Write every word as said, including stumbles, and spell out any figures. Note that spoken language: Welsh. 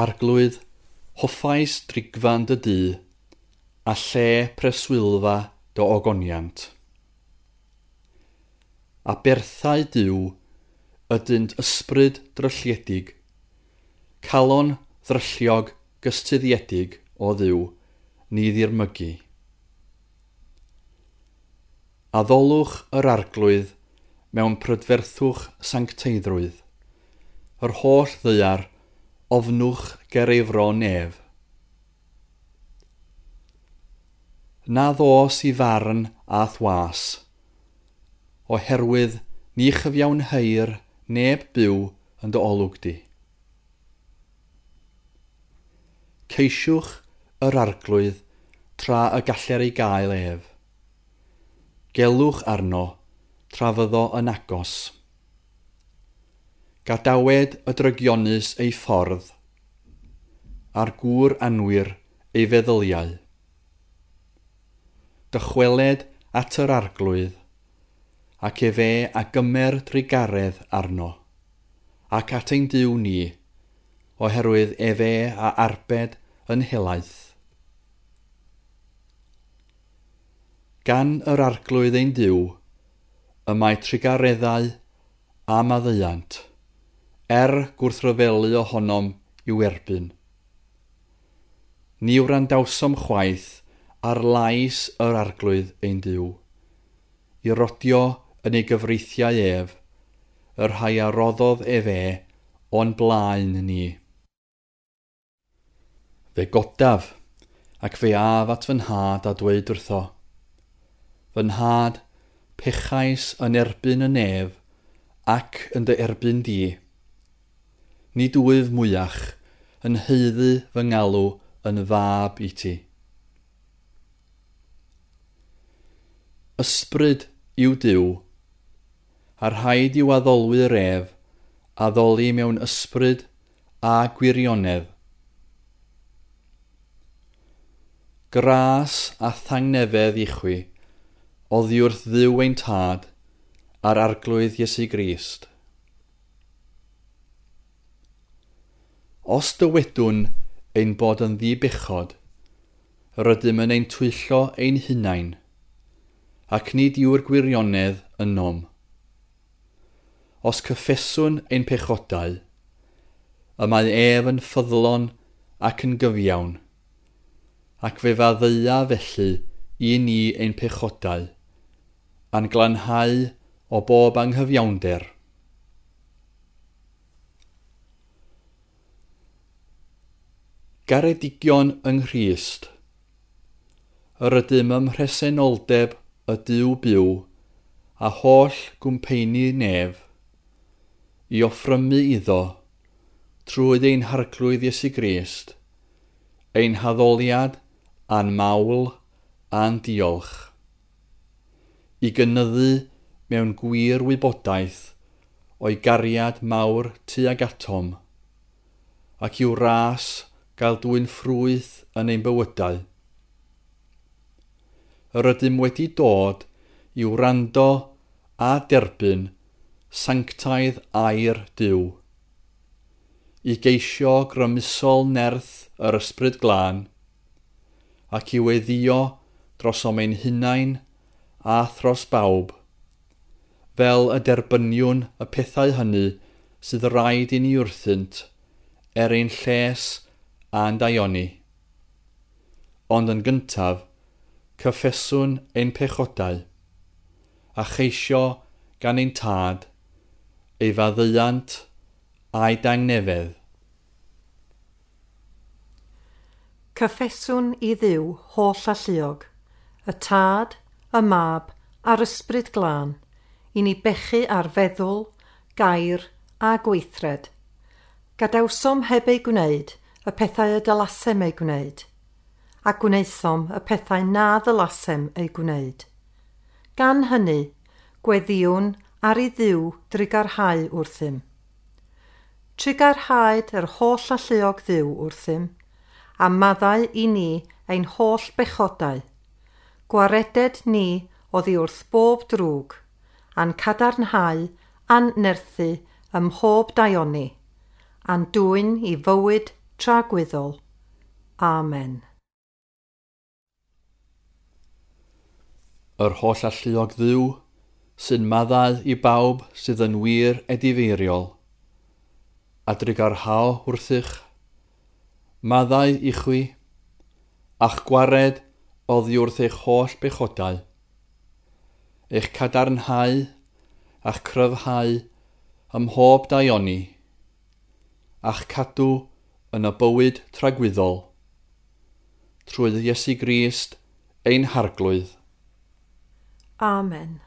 Arglwydd, hoffais drigfan dy dŷ, a lle preswylfa dy ogoniant. Aberthau Duw ydynt ysbryd drylliedig, calon ddrylliog gystuddiedig o Dduw, ni ddirmygu. Addolwch yr Arglwydd mewn prydferthwch sancteiddrwydd, yr holl ddaear ofnwch ger ei fron ef. Na ddos i farn a'th was, oherwydd ni chyfiawnheir neb byw yn dy olwg di. Ceisiwch yr Arglwydd tra y galler ei gael ef. Gelwch arno tra fyddo yn agos. Gadawed y drygionus ei ffordd, a'r gŵr anwir ei feddyliau. Dychweled at yr Arglwydd, ac efe a gymer drugaredd arno, ac at ein Duw ni, oherwydd efe a arbed yn helaeth. Gan yr Arglwydd ein Duw, y mae trugareddau a maddeuant, er gwrthryfelu ohonom i'w erbyn. Ni wrandawsom chwaith ar lais yr Arglwydd ein Duw, i rodio yn ei gyfreithiau ef, y rhai a roddodd efe o'n blaen ni. Fe godaf, ac fe af at fy nhad a dweud wrtho, Fy nhad, pechais yn erbyn y nef ac yn dy erbyn di. Nid wyf mwyach yn haeddu fy ngalw yn fab i ti. Ysbryd yw Duw, a rhaid i'w addolwyr ef addoli mewn ysbryd a gwirionedd. Gras a thangnefedd i chwi, oddi wrth Dduw ein Tad a'r Arglwydd Iesu Grist. Os dywedwn ein bod yn ddibechod, rydym yn ein twyllo ein hunain, ac nid yw'r gwirionedd ynom. Os cyffeswn ein pechodau, y mae ef yn ffyddlon ac yn gyfiawn, ac fe faddeuа felly i ni ein pechodau, a'n glanhau o bob anghyfiawnder. Garedigion yng Nghrist, yr ydym ym mhresenoldeb y Duw byw a holl gwmpeini nef, i offrymu iddo, trwy ein Harglwydd Iesu Grist, ein haddoliad a'n mawl a'n diolch, i gynyddu mewn gwir wybodaeth o'i gariad mawr tuag atom, ac i'w ras gael dwyn ffrwyth yn ein bywydau. Yr ydym wedi dod i wrando a derbyn sanctaidd air Duw, i geisio grymusol nerth yr Ysbryd Glân, ac i weddïo drosom ein hunain a thros bawb, fel y derbyniwn y pethau hynny sydd raid i ni wrthynt er ein lles a'n daioni. Ond yn gyntaf, cyffeswn ein pechodau, a cheisio gan ein Tad ei faddeuant a'i dangnefedd. Cyffeswn i Dduw holl alluog, y Tad, y Mab a'r Ysbryd Glân, i ni bechu ar feddwl, gair a gweithred. Gadawsom heb ei gwneud y pethau y dylasem eu gwneud, a gwnaethom y pethau na ddylasem eu gwneud. Gan hynny, gweddïwn ar i Dduw drugarhau wrthym. Trugarhaed yr holl alluog Dduw wrthym, a maddau i ni ein holl bechodau. Gwareded ni oddi wrth bob drwg, a'n cadarnhau a'n nerthu ym mhob daioni, a'n dwyn i fywyd tragwyddol. Amen. Yr holl alluog Dduw sy'n maddau i bawb sydd yn wir edifeiriol, a drugarhao wrthych, maddau i chwi, a'ch gwared oddi wrth eich holl bechodau, eich cadarnhau a'ch cryfhau ym mhob daioni, a'ch cadw yn y bywyd tragwyddol, trwy Iesu Grist ein Harglwydd. Amen.